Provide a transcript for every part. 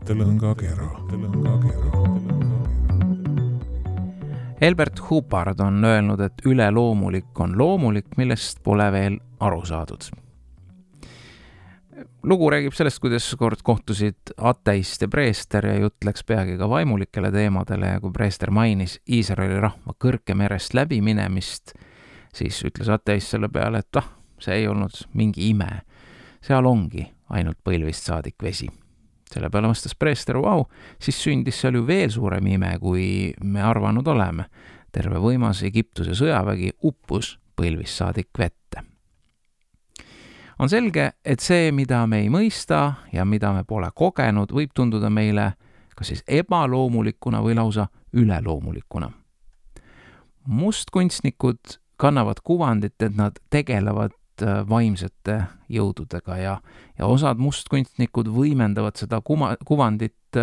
mõttelõngakera. Albert Hubbard on öelnud, et üleloomulik on loomulik, millest pole veel aru saadud. Lugu räägib sellest, kuidas kord kohtusid ateist ja preester ja jutt läks peagi ka vaimulikele teemadele ja kui preester mainis Iisraeli rahva kõrgemerest läbiminemist, siis ütles ateist selle peale, et see ei olnud mingi ime. Seal ongi ainult põlvist saadik vesi. Selle peale vastas preester, siis sündis seal ju veel suurem ime, kui me arvanud oleme. Terve võimas Egiptuse sõjavägi uppus põlvist saadik vette. On selge, et see, mida me ei mõista ja mida me pole kogenud, võib tunduda meile kas siis ebaloomulikuna või lausa üleloomulikuna. Mustkunstnikud kannavad kuvandit, et nad tegelevad vaimsete jõududega ja osad mustkunstnikud võimendavad seda kuvandit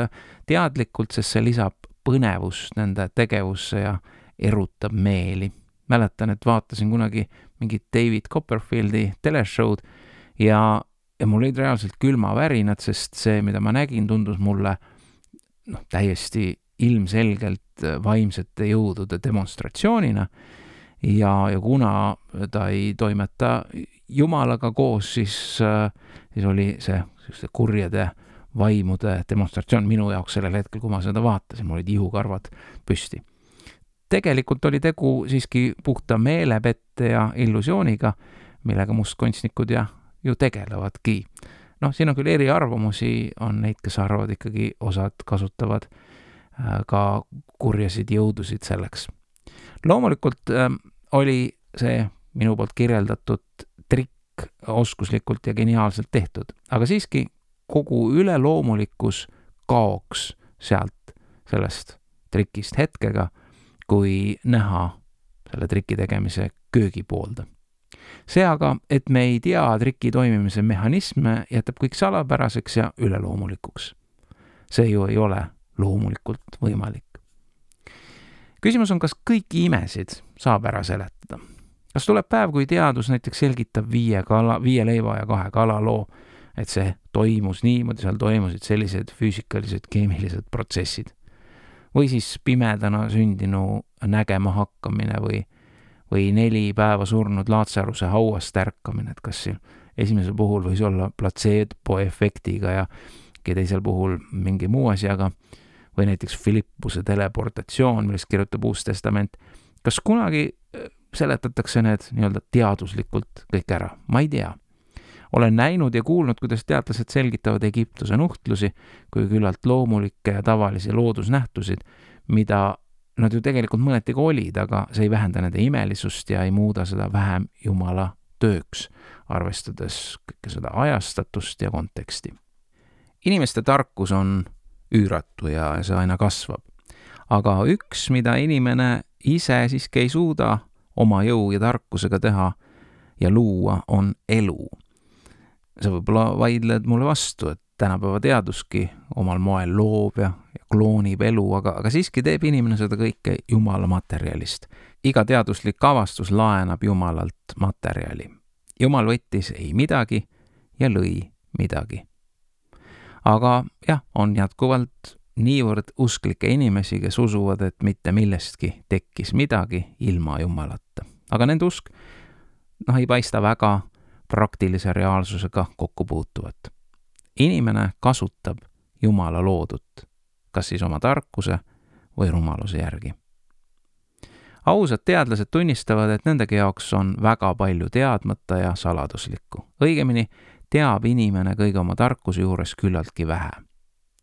teadlikult, sest see lisab põnevust nende tegevusse ja erutab meeli. Mäletan, et vaatasin kunagi mingit David Copperfieldi teleshow'd ja mul olid reaalselt külmavärinad, sest see, mida ma nägin, tundus mulle täiesti ilmselgelt vaimsete jõudude demonstratsioonina ja kuna ta ei toimeta Jumalaga koos, siis oli see kurjade vaimude demonstratsioon minu jaoks sellel hetkel, kui ma seda vaatasin, mul olid ihukarvad püsti. Tegelikult oli tegu siiski puhta meelepette ja illusiooniga, millega mustkunstnikud ju tegelevadki. Siin on küll eriarvamusi, on neid, kes arvavad ikkagi osad kasutavad ka kurjasid jõudusid selleks. Loomulikult oli see minu poolt kirjeldatud trikk oskuslikult ja geniaalselt tehtud, aga siiski kogu üleloomulikkus kaoks sealt sellest trikist hetkega, kui näha selle triki tegemise köögipoolda. See aga, et me ei tea triki toimimise mehhanisme, jätab kõik salapäraseks ja üleloomulikuks. See ju ei ole loomulikult võimalik. Küsimus on, kas kõiki imesid saab ära seletada. Kas tuleb päev, kui teadus näiteks selgitab 5 leiva ja 2 kala loo, et see toimus niimoodi, seal toimusid sellised füüsikalised, keemilised protsessid. Või siis pimedana sündinu nägema hakkamine või 4 päeva surnud Laatsaruse hauast ärkamine, et kas esimesel puhul võis olla platseebo-efektiga ja teisel puhul mingi muu asjaga, või näiteks Filippuse teleportatsioon, millest kirjutab Uus Testament. Kas kunagi seletatakse need nii-öelda teaduslikult kõik ära? Ma ei tea. Olen näinud ja kuulnud, kuidas teadlased selgitavad Egiptuse nuhtlusi kui küllalt loomulikke ja tavalisi loodusnähtusid, mida nad ju tegelikult mõneti ka olid, aga see ei vähenda nende imelisust ja ei muuda seda vähem Jumala tööks, arvestades kõike seda ajastatust ja konteksti. Inimeste tarkus on üüratu ja see aina kasvab. Aga üks, mida inimene ise siiski ei suuda oma jõu ja tarkusega teha ja luua, on elu. Sa võib-olla vaidled mulle vastu, et tänapäeva teaduski omal moel loov ja kloonib elu, aga siiski teeb inimene seda kõike Jumala materjalist. Iga teaduslik avastus laenab Jumalalt materjali. Jumal võttis ei midagi ja lõi midagi. Aga on jätkuvalt niivõrd usklikke inimesi, kes usuvad, et mitte millestki tekkis midagi ilma Jumalata. Aga nende usk ei paista väga praktilise reaalsusega kokku puutuvat. Inimene kasutab Jumala loodut, kas siis oma tarkuse või rumaluse järgi. Ausad teadlased tunnistavad, et nendegi jaoks on väga palju teadmata ja saladuslikku. Õigemini teab inimene kõige oma tarkuse juures küllaltki vähe.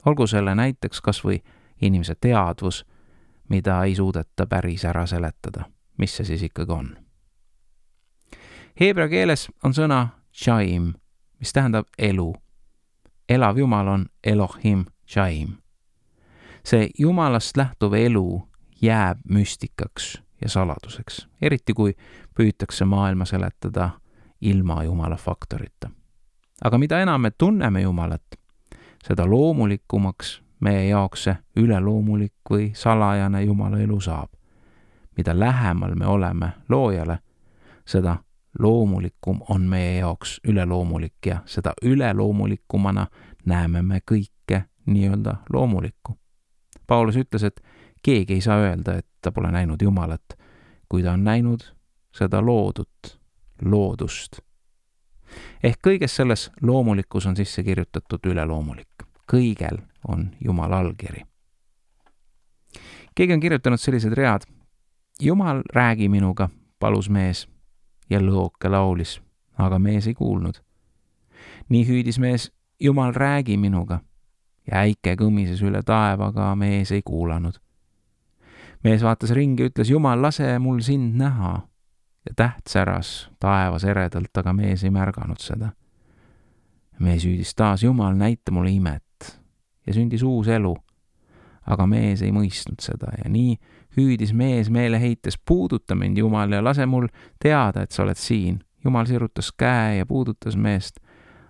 Olgu selle näiteks kas või inimese teadvus, mida ei suudeta päris ära seletada. Mis see siis ikkagi on? Heebrea keeles on sõna Chaim, mis tähendab elu. Elav Jumal on Elohim Chaim. See Jumalast lähtuv elu jääb müstikaks ja saladuseks, eriti kui püütakse maailma seletada ilma Jumala faktorita. Aga mida enam me tunneme Jumalat, seda loomulikumaks meie jaoks see üleloomulik või salajane Jumala elu saab. Mida lähemal me oleme loojale, seda loomulikum on meie jaoks üleloomulik ja seda üleloomulikumana näeme me kõike nii-öelda loomulikku. Paulus ütles, et keegi ei saa öelda, et ta pole näinud Jumalat, kui ta on näinud seda loodust. Ehk kõiges selles loomulikkus on sisse kirjutatud üleloomulik. Kõigel on Jumala allkiri. Keegi on kirjutanud sellised read. Jumal, räägi minuga, palus mees, ja lõoke laulis, aga mees ei kuulnud. Nii hüüdis mees, Jumal, räägi minuga, ja äike kõmises üle taeva, aga mees ei kuulanud. Mees vaatas ringi ja ütles, Jumal, lase mul sind näha. Ja täht säras taevas eredalt, aga mees ei märganud seda. Mees hüüdis taas, Jumal, näita mulle imet. Ja sündis uus elu, aga mees ei mõistnud seda ja nii hüüdis mees meeleheites, puuduta mind, Jumal, ja lase mul teada, et sa oled siin. Jumal sirutas käe ja puudutas meest,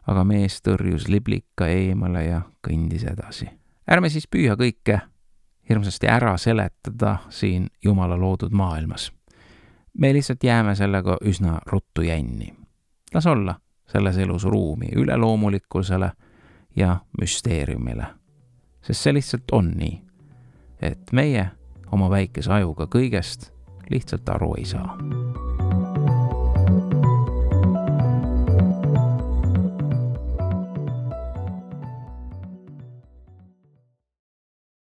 aga mees tõrjus liblika eemale ja kõndis edasi. Ärme siis püüa kõike hirmsasti ära seletada siin Jumala loodud maailmas. Me lihtsalt jääme sellega üsna ruttu jänni. Las olla selles elus ruumi üleloomulikkusele ja müsteeriumile. Sest see lihtsalt on nii, et meie oma väikese ajuga kõigest lihtsalt aru ei saa.